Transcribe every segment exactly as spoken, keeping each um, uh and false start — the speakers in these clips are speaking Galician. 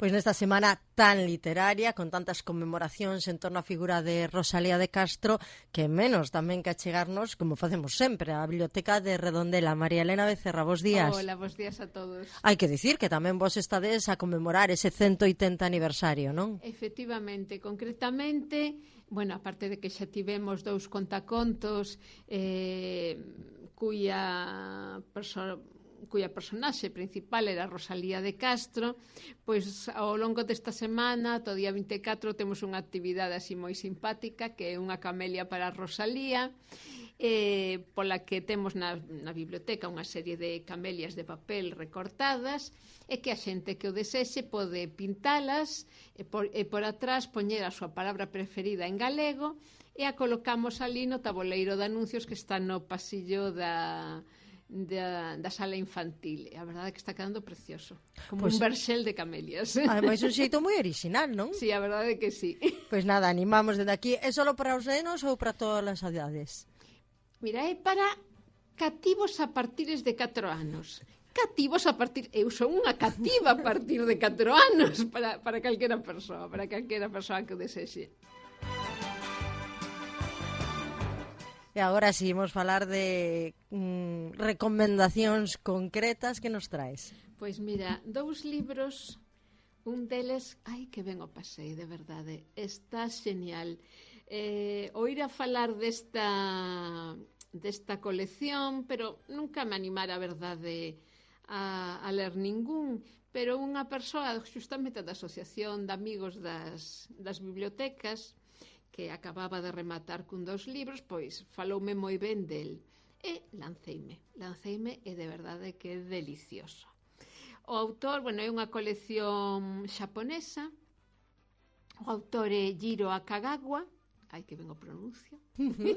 Pois nesta semana tan literaria, con tantas conmemoracións en torno á figura de Rosalía de Castro, que menos tamén que achegarnos, como facemos sempre, á Biblioteca de Redondela. María Elena Becerra, bos días. Hola, bos días a todos. Hai que dicir que tamén vos estades a conmemorar ese ciento oitenta aniversario, non? Efectivamente, concretamente, bueno, aparte de que xa tivemos dous contacontos eh, cuya persoa cuya personaxe principal era Rosalía de Castro, pois ao longo desta semana, todo día vinte e catro, temos unha actividade así moi simpática, que é unha camelia para Rosalía, eh, pola que temos na, na biblioteca unha serie de camelias de papel recortadas, e que a xente que o desexe pode pintalas, e por, e por atrás poñer a súa palabra preferida en galego, e a colocamos ali no tabuleiro de anuncios que está no pasillo da... Da, da sala infantil. A verdade é que está quedando precioso. Como pues, un verxel de camelias. Ademais, un xeito moi original, non? Sí, a verdade é que sí. Pois nada, animamos desde aquí. É só para os nenos ou para todas as edades? Mira, é para cativos a partir de catro anos. Cativos a partir... Eu son unha cativa a partir de catro anos para, para calquera persoa, para calquera persoa que o desexe. E agora si, imos falar de mm, recomendacións concretas que nos traes. Pois mira, dous libros, un deles, ai, que ben o pasei, de verdade, está genial. Eh, oír a falar desta, desta colección, pero nunca me animara, a verdade, a, a ler ningún, pero unha persoa, justamente da Asociación de Amigos das, das Bibliotecas, que acababa de rematar cun dos libros, pois faloume moi ben del. E lanceime, lanceime e de verdade que é delicioso. O autor, bueno, é unha colección xaponesa, o autor é Jiro Akagawa, ai que ben o pronuncio, uh-huh.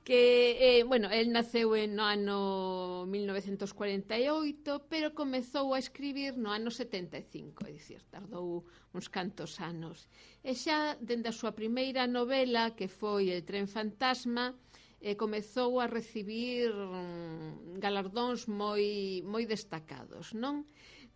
que, eh, bueno, el naceu no ano mil novecentos cuarenta e oito, pero comezou a escribir no ano setenta e cinco, é dicir, tardou uns cantos anos. E xa, dende a súa primeira novela, que foi El tren fantasma, eh, comezou a recibir mm, galardóns moi, moi destacados, non?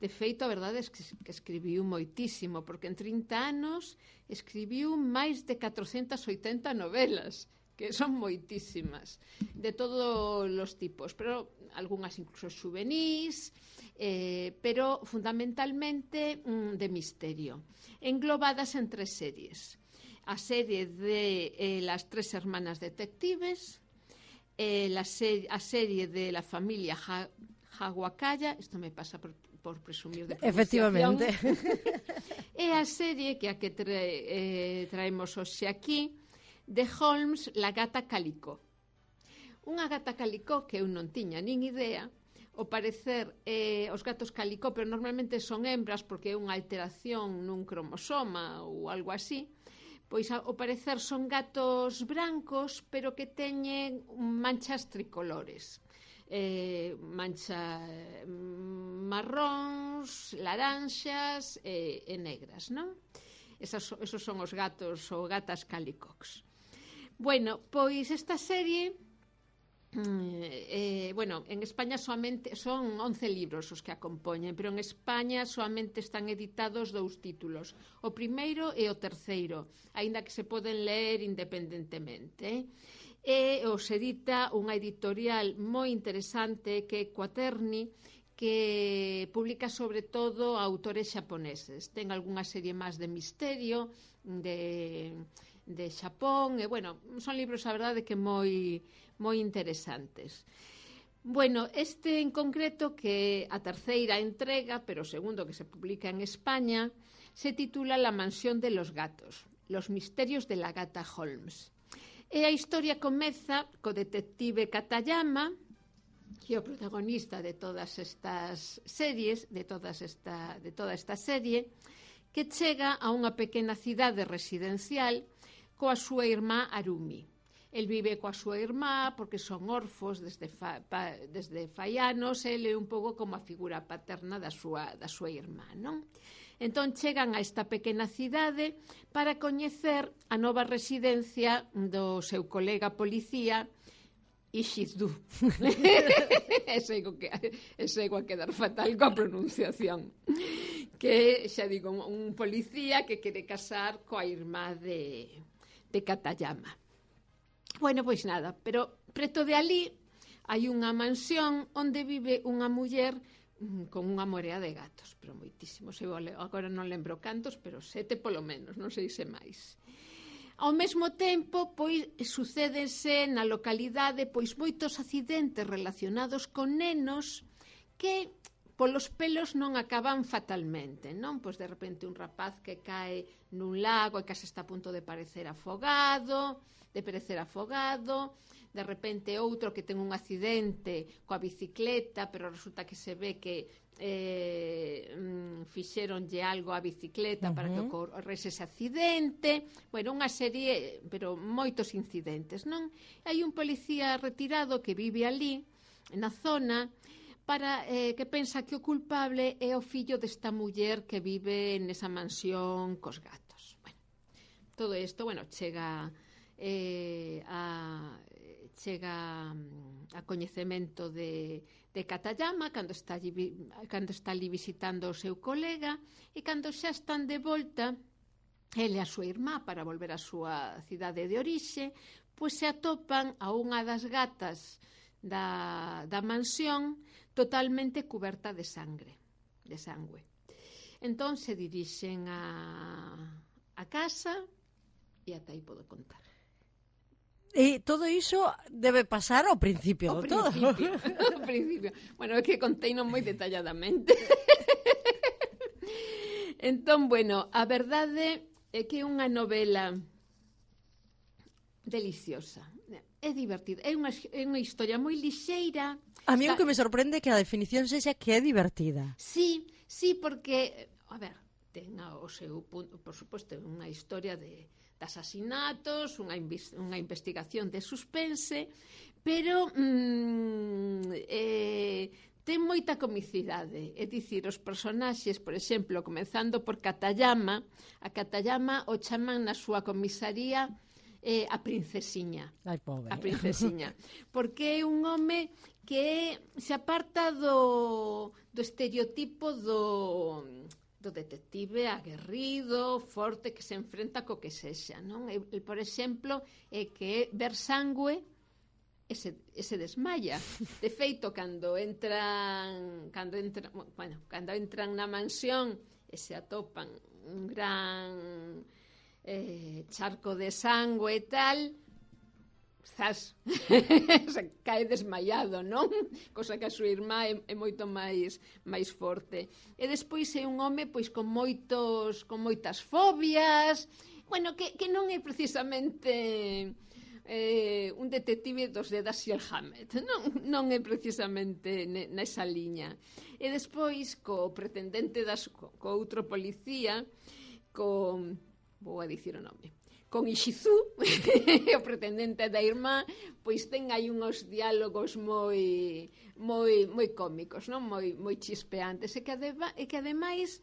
De feito, a verdade é que, que escribiu moitísimo, porque en trinta anos escribiu máis de catrocentas e oitenta novelas, que son moitísimas, de todos os tipos, pero algunhas incluso xuvenís, eh, pero fundamentalmente mm, de misterio, englobadas en tres series. A serie de eh, Las tres hermanas detectives, eh, la ser a serie de La familia ha Hawakaya, isto me pasa por, por presumir de pronunciación. Efectivamente. E a serie que a que tra eh, traemos hoxe aquí, de Holmes, La gata calicó. Unha gata calicó que eu non tiña nin idea. Ao parecer, eh, os gatos calicó, pero normalmente son hembras porque é unha alteración nun cromosoma ou algo así. Pois ao parecer son gatos brancos, pero que teñen manchas tricolores. Eh, mancha eh, marróns, laranxas e, e negras, non? Esas, esos son os gatos ou gatas calicox. Bueno, pois esta serie, eh, bueno, en España soamente son once libros os que a compoñen, pero en España soamente están editados dous títulos, o primeiro e o terceiro, aínda que se poden ler independentemente. E os edita unha editorial moi interesante que é Quaterni, que publica sobre todo autores xaponeses. Ten algunha serie máis de misterio, de... de Xapón, e, bueno, son libros, a verdade, que moi, moi interesantes. Bueno, este en concreto, que a terceira entrega, pero o segundo que se publica en España, se titula La mansión de los gatos, los misterios de la gata Holmes. E a historia comeza co detective Katayama, que é o protagonista de todas estas series, de, todas esta, de toda esta serie, que chega a unha pequena cidade residencial coa súa irmá Harumi. El vive coa súa irmá porque son orfos desde, fa, pa, desde fai anos, el é un pouco como a figura paterna da súa, da súa irmá, non? Entón chegan a esta pequena cidade para coñecer a nova residencia do seu colega policía, Ishizu. E sego a quedar fatal coa pronunciación. que, xa digo, un policía que quere casar coa irmá de, de Katayama. Bueno, pois nada, pero preto de ali hai unha mansión onde vive unha muller con unha morea de gatos, pero moitísimos. Eu agora non lembro cantos, pero sete polo menos, non sei se máis. Ao mesmo tempo, pois, sucédense na localidade pois moitos accidentes relacionados con nenos que polos pelos non acaban fatalmente, non? Pois de repente un rapaz que cae nun lago e que se está a punto de parecer afogado, de perecer afogado, de repente outro que ten un accidente coa bicicleta, pero resulta que se ve que eh, fixeronlle algo á bicicleta uh-huh. para que ocorrese ese accidente. Bueno, unha serie, pero moitos incidentes, non? Hai un policía retirado que vive ali, na zona, para eh, que pensa que o culpable é o fillo desta muller que vive nesa mansión cos gatos. Bueno, todo isto, bueno, chega eh, a chega a coñecemento de, de Katayama cando está, allí, cando está ali visitando o seu colega, e cando xa están de volta ele e a súa irmá para volver á súa cidade de orixe, pois se atopan a unha das gatas da, da mansión totalmente cuberta de sangre, de sangue. Entón se dirixen a, a casa e ata aí podo contar. E todo iso debe pasar ao principio ao do todo. Principio, ao principio. Bueno, é que conteino moi detalladamente. Entón, bueno, a verdade é que é unha novela deliciosa. É divertida. É unha, é unha historia moi lixeira. A mí o que me sorprende é que a definición sexa que é divertida. Sí, sí, porque, a ver, ten o seu punto, por suposto, unha historia de de asasinatos, unha, unha investigación de suspense, pero mm, eh, ten moita comicidade. É dicir, os personaxes, por exemplo, comenzando por Katayama, a Katayama o chaman na súa comisaría eh, a princesiña. Ai, pobre. A princesiña. Porque é un home que se aparta do, do estereotipo do... do detective aguerrido, forte, que se enfrenta co que sexa, non? El, el, por exemplo, é que ver sangue e se, e se desmaya. De feito, cando entran, cando entran, bueno, cando entran na mansión e se atopan un gran eh, charco de sangue e tal, zas, se cae desmaiado, non? Cosa que a súa irmá é, é moito máis máis forte. E despois é un home pois con moitos con moitas fobias, bueno, que, que non é precisamente eh, un detective dos de Dashiell Hammett, non, non é precisamente nesa liña. E despois co pretendente das, co, co outro policía, co, vou a dicir o nome, con Ishizu, o pretendente da irmá, pois ten aí uns diálogos moi moi moi cómicos, non? Moi moi chispeantes, e que adeba, e que ademais,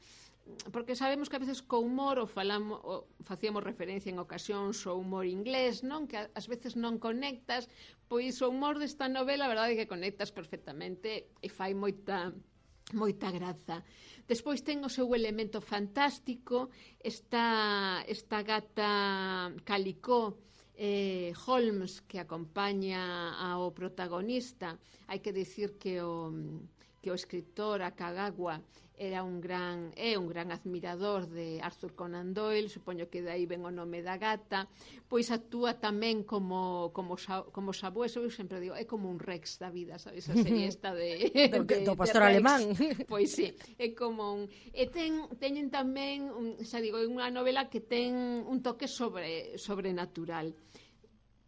porque sabemos que a veces co humor o falamos o facíamos referencia en ocasións ao humor inglés, non? Que ás veces non conectas, pois o humor desta novela, a verdade é que conectas perfectamente e fai moita moita graza. Despois ten o seu elemento fantástico, esta, esta gata Calicó, eh, Holmes, que acompaña ao protagonista. Hai que dicir que o, que o escritor Akagawa era un gran, é un gran admirador de Arthur Conan Doyle, supoño que de aí ven o nome da gata, pois actúa tamén como como, como sabueso, eu sempre digo, é como un Rex da vida, sabes, a serie esta de, do, de, do pastor de alemán. Pois sí, é como un... E ten, teñen tamén, un, xa digo, é unha novela que ten un toque sobre sobrenatural.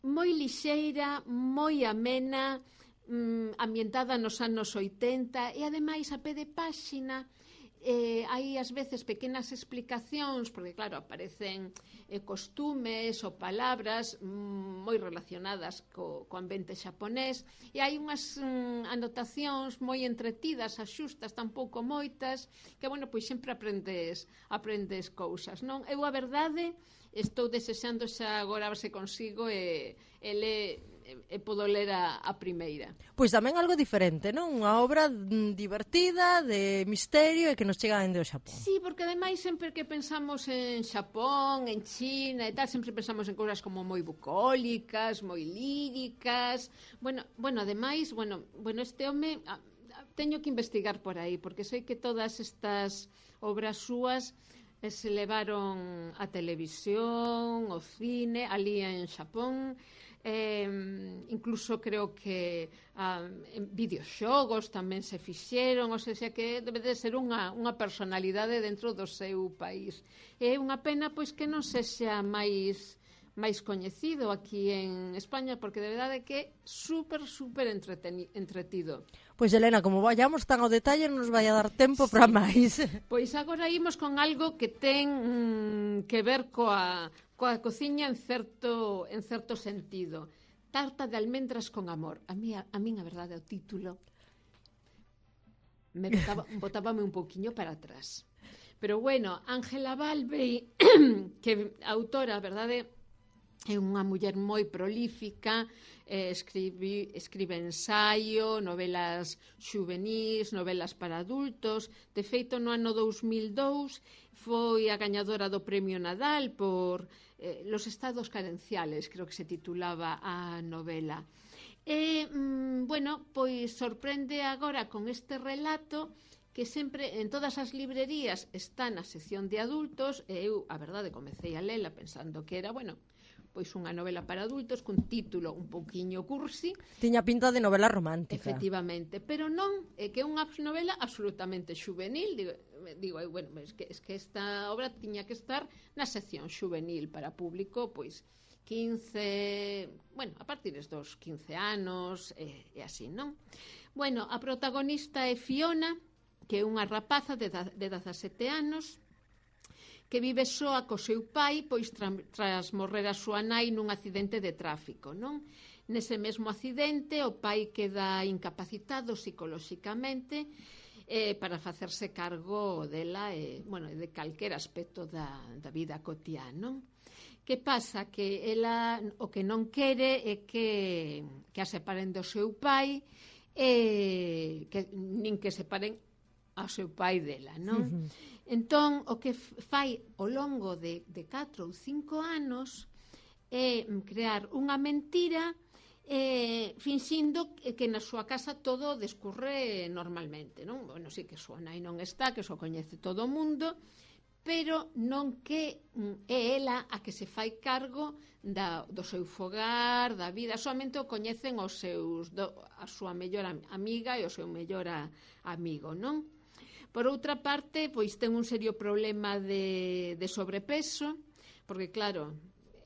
Moi lixeira, moi amena, mm, ambientada nos anos oitenta, e ademais a pé de páxina eh, hai ás veces pequenas explicacións, porque claro, aparecen eh, costumes ou palabras mm, moi relacionadas co, co ambiente xaponés, e hai unhas mm, anotacións moi entretidas, axustas, tampouco moitas, que bueno, pois sempre aprendes aprendes cousas, non? Eu a verdade estou desexando xa agora se consigo e, e le, e podo ler a, a primeira. Pois tamén algo diferente, non? Unha obra mm, divertida, de misterio e que nos chega dende o Xapón. Sí, porque ademais sempre que pensamos en Xapón, en China e tal, sempre pensamos en cousas como moi bucólicas, moi líricas. Bueno, bueno, ademais, bueno, bueno, este home a, a, teño que investigar por aí, porque sei que todas estas obras súas eh, se levaron a televisión, o cine, ali en Xapón. Eh, incluso creo que ah, en videoxogos tamén se fixeron, ou seja que debe de ser unha, unha personalidade dentro do seu país. É unha pena pois que non sexa máis máis coñecido aquí en España, porque de verdade que é super, super entretido. Pois, Elena, como vayamos tan ao detalle, non nos vai a dar tempo sí. para máis. Pois agora imos con algo que ten mm, que ver coa, coa cociña en certo, en certo sentido. Tarta de almendras con amor. A mí, a, a min, a verdade, o título me botaba, botábame un pouquiño para atrás. Pero bueno, Ángela Balbei, que autora, a verdade, é unha muller moi prolífica, eh, escribe, escribe ensaio, novelas xuvenís, novelas para adultos. De feito, no ano dous mil dous foi a gañadora do Premio Nadal por eh, Los estados carenciales, creo que se titulaba a novela. E, mm, bueno, pois sorprende agora con este relato que sempre en todas as librerías está na sección de adultos, e eu, a verdade, comecei a lela pensando que era, bueno, pois unha novela para adultos cun título un pouquiño cursi. Tiña pinta de novela romántica. Efectivamente, pero non, é que é unha novela absolutamente xuvenil. Digo, digo bueno, es que, es que esta obra tiña que estar na sección xuvenil para público, pois quince, bueno, a partir dos quince anos e, e así, non? Bueno, a protagonista é Fiona, que é unha rapaza de, de dezasete anos, que vive soa co seu pai, pois tra, tras morrer a súa nai nun accidente de tráfico, non? Nese mesmo accidente, o pai queda incapacitado psicolóxicamente eh, para facerse cargo dela e, bueno, de calquer aspecto da, da vida cotiá, non? Que pasa? Que ela o que non quere é que, que a separen do seu pai e que, nin que separen ao seu pai dela, non? Uh-huh. Entón, o que fai ao longo de, de catro ou cinco anos é crear unha mentira eh, finxindo que na súa casa todo descurre normalmente, non? Bueno, sí que a súa nai non está, que só coñece todo o mundo, pero non que é ela a que se fai cargo da, do seu fogar, da vida, somente o coñecen os seus, do, a súa mellor amiga e o seu mellor a, amigo, non? Por outra parte, pois ten un serio problema de, de sobrepeso, porque claro,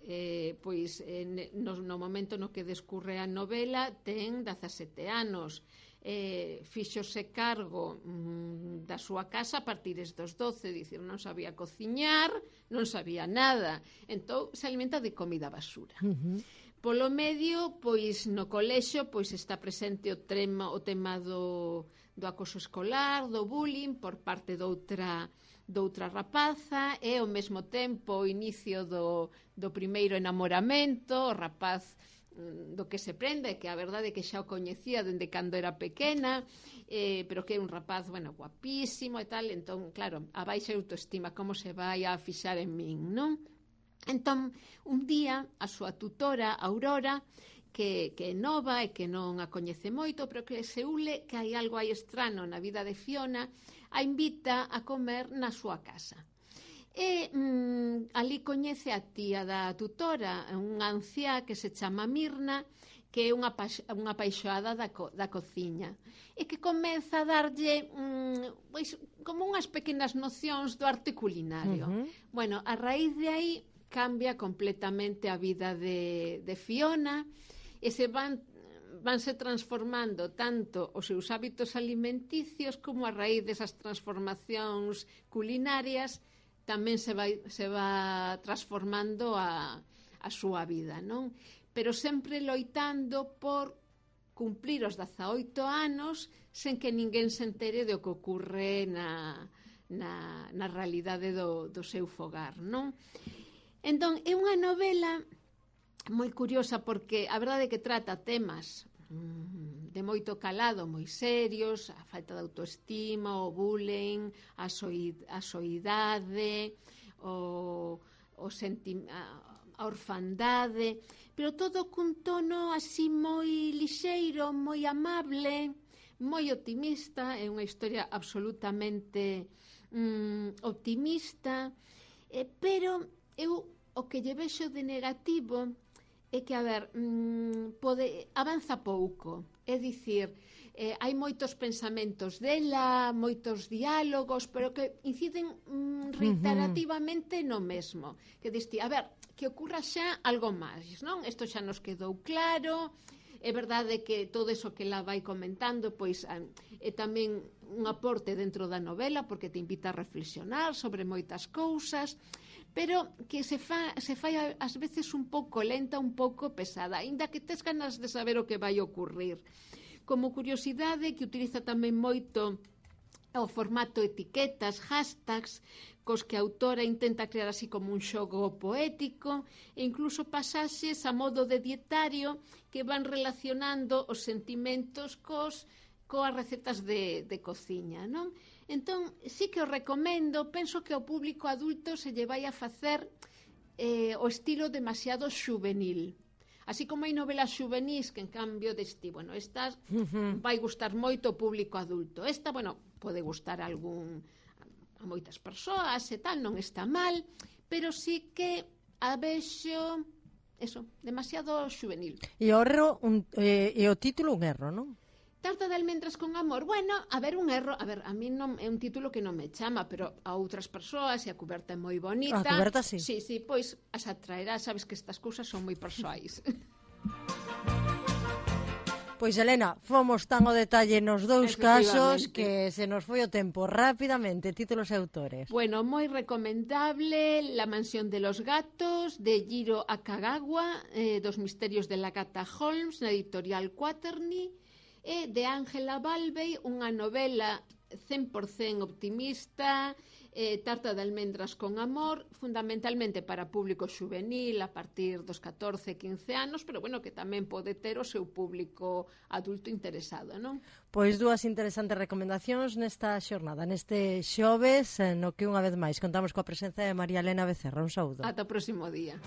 eh, pois eh, no, no momento no que descurre a novela ten dezasete anos, eh, fíxose cargo mm, da súa casa a partir dos doce, dicir, non sabía cociñar, non sabía nada, entón se alimenta de comida basura. Uh-huh. Polo medio, pois no colexio pois está presente o tema, o tema do, do acoso escolar, do bullying por parte doutra, doutra rapaza, e ao mesmo tempo o inicio do, do primeiro enamoramento, o rapaz do que se prende, que a verdade é que xa o coñecía dende cando era pequena, eh, pero que é un rapaz, bueno, guapísimo e tal, entón, claro, a baixa autoestima, como se vai a fixar en min, non? Entón, un día, a súa tutora, Aurora, que, que é nova e que non a coñece moito, pero que se ule que hai algo aí estrano na vida de Fiona, a invita a comer na súa casa. E mm, ali coñece a tía da tutora, unha anciá que se chama Mirna, que é unha, unha apaixoada da, co, da cociña, e que comeza a darlle mm, pois, como unhas pequenas nocións do arte culinario. Uh-huh. Bueno, a raíz de aí cambia completamente a vida de, de Fiona e se van, vanse transformando tanto os seus hábitos alimenticios como a raíz desas transformacións culinarias tamén se vai, se va transformando a, a súa vida, non? Pero sempre loitando por cumplir os dezaoito anos sen que ninguén se entere do que ocorre na, na, na realidade do, do seu fogar, non? Entón, é unha novela moi curiosa porque a verdade é que trata temas de moito calado, moi serios, a falta de autoestima, o bullying, a, soid, a soidade, o, o senti, a, a orfandade, pero todo cun tono así moi lixeiro, moi amable, moi optimista, é unha historia absolutamente mm, optimista, eh, pero eu o que lle vexo de negativo é que, a ver, mmm, pode, avanza pouco, é dicir, eh, hai moitos pensamentos dela, moitos diálogos, pero que inciden mm, reiterativamente no mesmo, que diste, a ver, que ocurra xa algo máis, non? Isto xa nos quedou claro, é verdade que todo eso que ela vai comentando, pois, é tamén un aporte dentro da novela, porque te invita a reflexionar sobre moitas cousas, pero que se, fa, se fai ás veces un pouco lenta, un pouco pesada, aínda que tes ganas de saber o que vai ocurrir. Como curiosidade, que utiliza tamén moito o formato etiquetas, hashtags, cos que a autora intenta crear así como un xogo poético, e incluso pasaxes a modo de dietario que van relacionando os sentimentos cos coas recetas de, de cociña, non? Entón, sí que o recomendo, penso que ao público adulto se lle vai a facer eh, o estilo demasiado xuvenil. Así como hai novelas xuvenis que en cambio deste, bueno, estas uh-huh. vai gustar moito o público adulto. Esta, bueno, pode gustar a algún a moitas persoas e tal, non está mal, pero sí que a vexo eso, demasiado xuvenil. E o erro, un, eh, e o título un erro, non? Tarta de almendras con amor. Bueno, a ver, un erro, a ver, a mí non é un título que non me chama, pero a outras persoas, e a cuberta é moi bonita. A cuberta, sí. Sí, sí, pois as atraerá, sabes que estas cousas son moi persoais. Pois, Elena, fomos tan ao detalle nos dous casos que se nos foi o tempo rapidamente. Títulos e autores. Bueno, moi recomendable La mansión de los gatos, de Jiro Akagawa, eh, dos misterios de la gata Holmes, na editorial Quaterny, e de Ángela Balvey, unha novela cen por cento optimista, eh, Tarta de almendras con amor, fundamentalmente para público xuvenil a partir dos catorce, quince anos, pero bueno, que tamén pode ter o seu público adulto interesado, non? Pois dúas interesantes recomendacións nesta xornada, neste xoves, no que unha vez máis contamos coa presenza de María Elena Becerra. Un saúdo. Ata o próximo día.